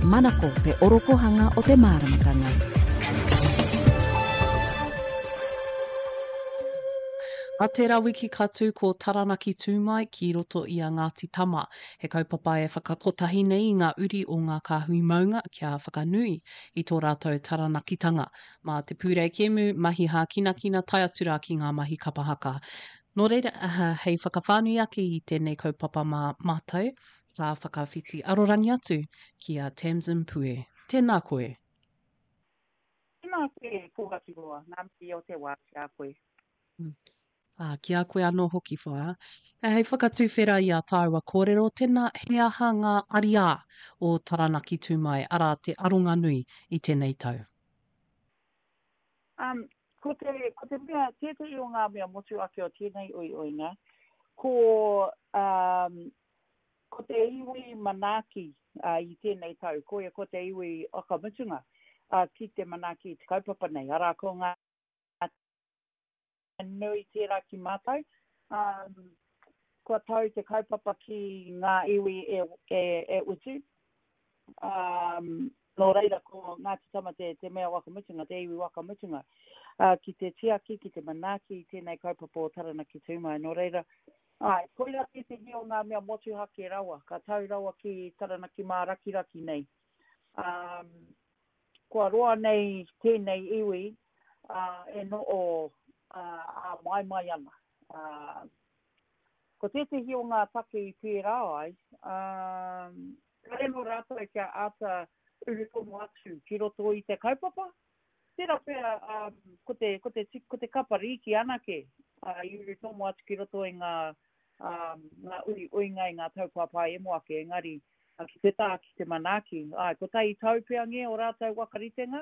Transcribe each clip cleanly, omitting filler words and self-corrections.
Manako te orokohanga o te māramatanga. A tērā wiki ka tū ko Taranaki Tū Mai ki roto i a Ngāti Tama, he kaupapa e whakakotahi nei i ngā uri o ngā kāhui maunga kia whakanui i tō rātou Taranakitanga mā te pūrei kēmu, mahi hākinakina tae atu rā ki ngā mahi kapa haka. Nō reira, hei whakawhānui ake i tēnei kaupapa mā mātou, ka whakawhiti arorangi atu ki a Tamsin Pue. Tēnā koe. Tēnā koe, Pōhaturoa, ngā mihi o te wā ki a koe. Ā, ki a koe anō hoki, whaea. Hei whakatuwhera i ā tāua kōrero, tēnā, he aha ngā ariā o Taranaki Tū Mai, arā, te aronga nui i tēnei tau? Um, ko te, ko te mea, tētehi o ngā mea motu ake o tēnei uiuinga, ko, um, ko te iwi manaaki uh, i tēnei tau, koia ko te iwi whakamutunga uh, ki te manaaki i te kaupapa nei. Arā, ko ngā nui tērā ki mātou. Um, kua tau te kaupapa ki ngā iwi e, e, e utu. Um, nō reira, ko Ngāti Tama te, te mea waka mutunga, te iwi waka mutunga, uh, ki te tiaki, ki te manaaki i tēnei kaupapa o Taranaki Tūmai. Nō reira, ai, koirā tētehi o ngā mea motuhake rawa, ka tau rawa ki Taranaki mārakiraki nei. Um, Kua roa nei tēnei iwi e noho āmaimai ana. Ko tētehi o ngā take i pērā ai, kāre anō rātou kia āta urutomo atu ki roto i te kaupapa. Tērā pea ko te, ko te, ko te kapa rīki anake i urutomo atu ki roto i ngā, ngā uiuinga i ngā tau kua paemo ake, engari ki te taha ki te manaaki. Āe, kotahi tau pea ngē o rātou whakaritenga,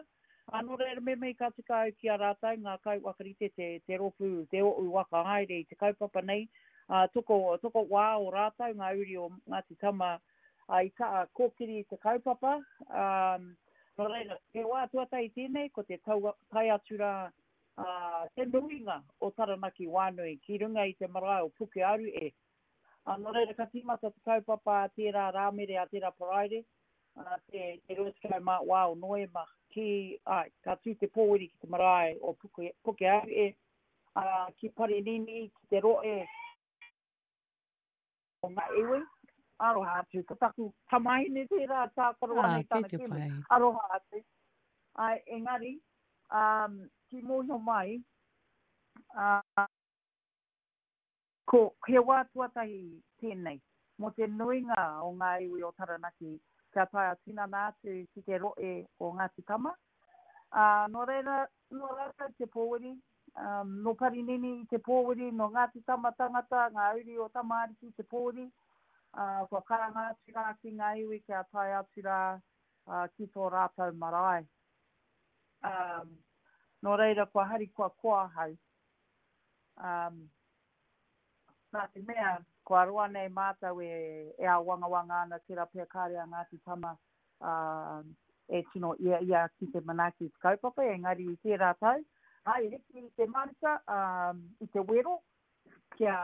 ā, nō reira me mihi ka tika au ki a rātou, ngā kaiwhakarite, te, te rōpū, te oʻu whakahaere i te kaupapa nei, ā, toko, toko wā o rātou, ngā uri o Ngāti Tama, ā, i kaha kōkiri i te kaupapa, ā, nō reira, he wā tuatahi tēnei, ko te tau, tae atu rā, ā, te nuinga o Taranaki Wānui ki runga i te marae o Pukearu e, Ā, nō reira ka tīmata te kaupapa a tērā Rāmere, a tērā Paraire, ā, te, te 24 o Noema, ki, āe, ka tū te pōwiri ki te marae o Puke, Pukeahu, ā, ki Parinini, ki te rohe o ngā iwi. Aroha atu, ko taku tamahine tērā, tākaro ana i tana kēmu. Aroha atu. Āe, engari, ā, ki mōhio mai, ā, Ko he wā tuatahi tēnei mō te nuinga o ngā iwi o Taranaki kia tae ā-tinana atu ki te rohe o Ngāti Tama. Ā, nō reira, nō rātou te pōwiri, ā, nō Parinini i te pōwiri, nō Ngāti Tama tangata, ngā uri o Tama Ariki te pōwiri, ā, kua karanga atu rā ki ngā iwi kia tae atu rā, ā, ki tō rātou marae. Ā, nō reira, kua harikoa koa ahau. Um, nā te mea, kua roa nei mātou e, e āwangawanga ana, tērā pea kāre a Ngāti Tama um, e tino ia ia ki te manaaki i te kaupapa, engari i tērā tau, ai, hiki i te manuka, um, i te wero, kia,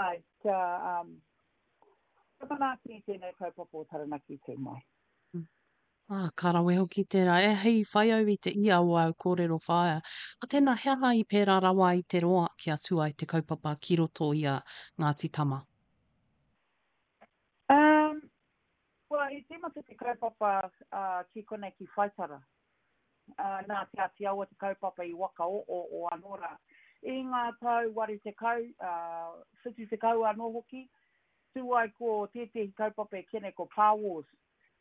ai, kia, um, kia manaaki i tēnei kaupapa o Taranaki Tū Mai. Ā, ka rawe hoki tērā. E, hei whai au i te ia o āu kōrero whaea. A tēnā, he aha i pērā rawa ai te roa kia tū ai te kaupapa ki roto i a Ngāti Tama? Um, well, i tīmata te kaupapa uh, ki konei ki Whaitara. Uh, nā Te Āti Awa te kaupapa i wakaoo o anō rā. I ngā tau 80, uh, 70 anō hoki, tū ai ko tētehi kaupapa e kene ko Pā Wars,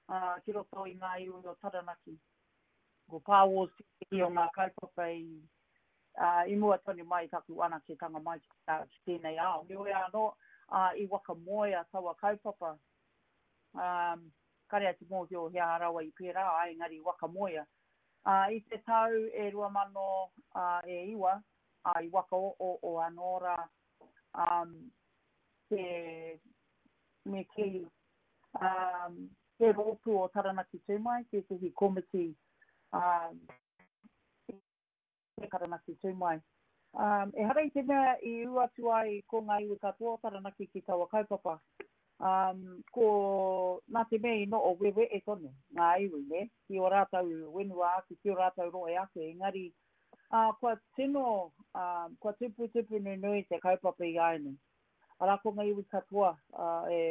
ā, ki roto i ngā iwi o Taranaki. Ko Pā Wars tētehi o ngā kaupapa i, ā, i mua tonu mai i taku anaketanga mai ki, ā, ki tēnei ao. Heoi anō, ā, i wakamoea taua kaupapa, ā, kare au te mōhio he aha rawa i pērā ai, engari i wakamoea. Ā, i te tau e 2000, ā, e iwa, ā, i wakaoooo anō rā, ā, te, me kī, um, te rōpū o Taranaki Tū Mai, tētehi komiti um, te Taranaki Tū Mai. Um, ehara i te mea i ū atu ai ko ngā iwi katoa o Taranaki ki taua kaupapa. Um, ko, nā te mea i noho wewe'e tonu ngā iwi, nē, ki ō rātou whenua ake, ki ō rātou rohe ake, engari, ā, kua tino, ā, kua tuputupu nunui te kaupapa i āianei. Arā, ko ngā iwi katoa, ā, e,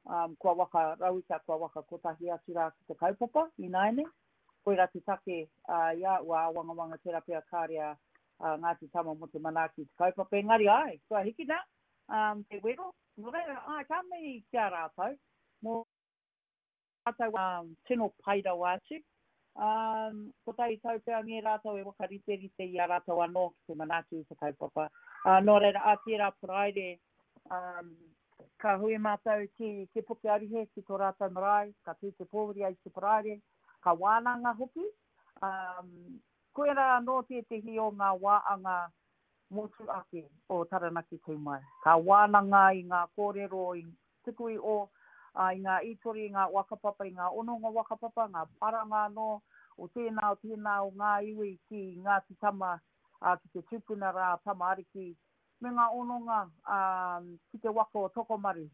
ā, kua waka rauika, kua waka kotahi atu rā ki te kaupapa ināianei. Koirā te take, ā, i a ua āwangawanga tērā pea kāre a, a Ngāti Tama mō te manaaki i te kaupapa, engari āe, kua hikina, ā, te wero, Nō reira, āe, ka mihi ki a rātou, mō rātou ā, tino pai rawa atu. Ā, kotahi tau pea ngē rātou e whakariterite i a rātou anō ki te manaaki i te kaupapa. Ā, nō reira, ā tērā Paraire, ā, ka hui mātou ki Te Puke Aruhe, ki tō rātou marae, ka tū te pōwhiri ai te Paraire, ka wānanga hoki. Ā, koirā anō tētehi o ngā wāanga motu ake o Taranaki tū mai. Ka wānanga i ngā kōrero i tuku i o, ā, i ngā ītori, i ngā whakapapa, i ngā hononga whakapapa, ngā paranga anō o tēnā, o tēnā o ngā iwi ki Ngāti Tama, ā, ki te tupuna rā a Tama Ariki, me ngā hononga, ā, ki te waka o Tokomaru,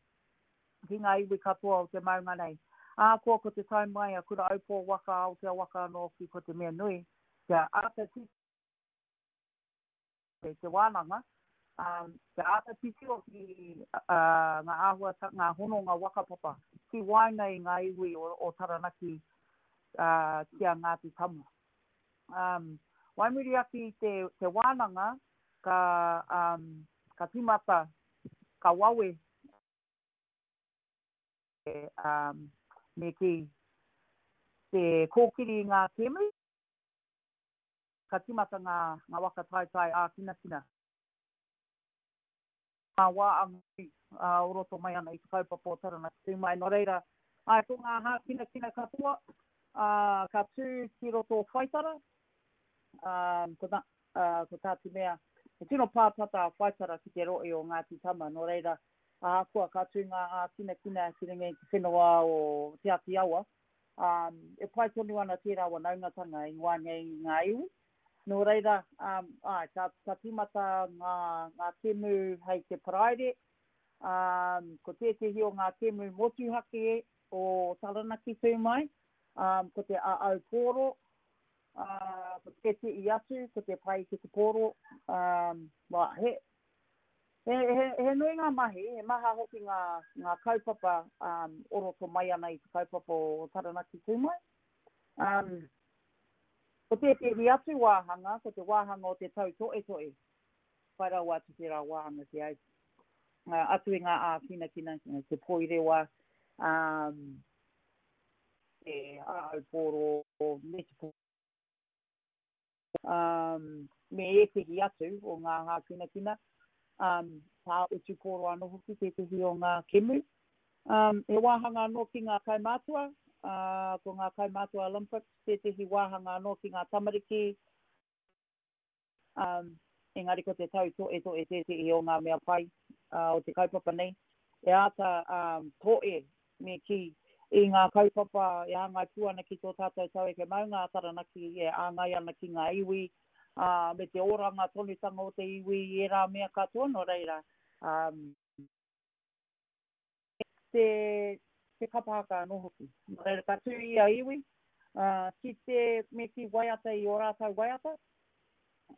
ki ngā iwi katoa o te maunga nei. Ahakoa ko te tae mai a Kura-aupō waka, Aotea waka anō hoki ko te mea nui, kia āta titiro te wānanga, ā, kia āta titiro ki ngā āhuatanga, ngā hononga whakapapa ki waenga i ngā iwi o Taranaki ki a Ngāti Tama. Wai muri ake i te wānanga, ka, ka tīmata, ka wawe, me kī, te kōkiri i ngā kēmu. Ka tīmata ngā ngā waka taetae ākinakina. Ngā wā anui o roto mai ana i te kaupapa o Taranaki Tū Mai. Nō reira, āe, ko ngā hākinakina katoa, ā, ka tū ki roto o Whaitara, ā, ko tā, ā, ko tā te mea, he tino pātata a Whaitara ki te rohe o Ngāti Tama, nō reira, ahakoa ka tū ngā ākinakina ki runga i te whenua o Te Āti Awa, Ā, e pai tonu ana tērā wanaungatanga i waenga i ngā iwi. Nō reira, ā, āe, ka, ka tīmata ngā, ngā kēmu hei te Paraire. Ā, ko tētehi o ngā kēmu motuhake o Taranaki tū mai, ā, ko te Āau Pōro, ā, ko tētehi atu, ko te Pai ki te Pōro, ā, wā, he, He, he, he nui ngā mahi, he maha hoki ngā, ngā kaupapa um, o roto mai ana i te kaupapa o Taranaki Tū Mai. Um, ko tētehi atu wāhanga, ko te wāhanga o te tautoetoe, whai rawa atu tērā wāhanga ki au. Uh, atu i ngā ākinakina, te poirewa, um, te āaupōro, me te um, me ētehi atu o ngā hākinakina, um, pā utu pōro anō hoki tētehi o ngā kemu. Um, he wāhanga anō ki ngā kaumātua, uh, ko ngā kaumātua Olympics tētehi wāhanga anō ki ngā tamariki, um, engari ko te tau toetoe tētehi o ngā mea pai uh, o te kaupapa nei. E āta um, toe me kī, i ngā kaupapa e hāngai pū ana ki tō tātou taueke maunga a Taranaki, e āngai ana ki ngā iwi, ā, me te oranga tonutanga o te iwi i ērā mea katoa, nō reira, ā, te, te kapa haka anō hoki. Nō reira, ka tū ia iwi, ā, ki te, me kī, waiata i ō rātou waiata,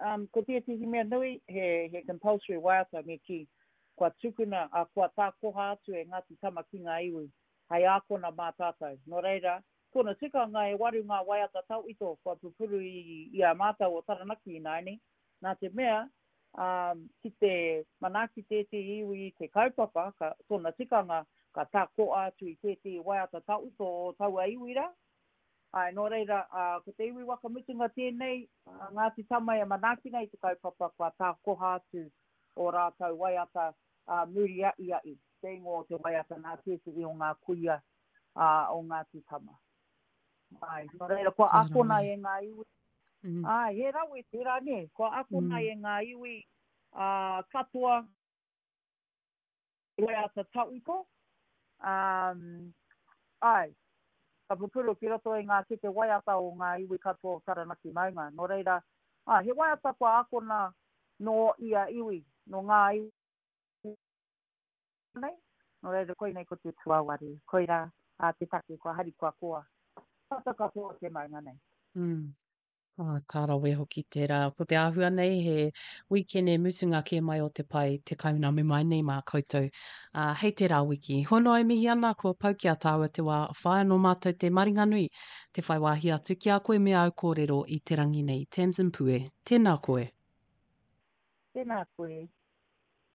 Um, ko tētehi mea nui, he, he compulsory waiata me kī, kua tukuna, a, kua tākoha atu e Ngāti Tama ki ngā iwi, hei ākona mā tātou. Nō reira, tōna tikanga e waru ngā waiata tauito kua pupuru i, i a mātou o Taranaki ināianei, nā te mea, um, ki te manaaki tētehi iwi i te kaupapa, ka, tōna tikanga, ka tākoha atu i tētehi waiata tauito o taua iwi rā, Āe, nō reira, ko te iwi waka mutunga tēnei, a Ngāti Tama e manaaki nei i te kaupapa kua tākoha atu ō rātou waiata ā muri aʻiaʻi, te ingoa o te waiata nā tētehi o ngā kuia o Ngāti Tama. Āe, nō reira, kua akona e ngā iwi. Āe, he rawe tērā, nē, kua akona e ngā iwi katoa. Waiata tawhito, um, āe, ka pupuru ki roto i ngā kete waiata o ngā iwi katoa o Taranaki maunga. Nō reira, āe, he waiata kua akona nō ia iwi, nō ngā iwi nei. Nō reira, koinei ko te tuawaru. Koirā ā, te take kua harikoa koa. Tata katoa te maunga nei. Mm. Ah, ka rawe hoki tērā. Ko te āhua nei he wīkene mutunga kē mai o te pai te kauname mai nei mā koutou. Ā, hei tērā wiki. Hono e mihi ana kua pau ki a tāua te wā whāia nō mātou te maringanui te whai wāhi atu ki a koe me āu kōrero i te rangi nei. Tamsin Pue, tēnā koe. Tēnā koe.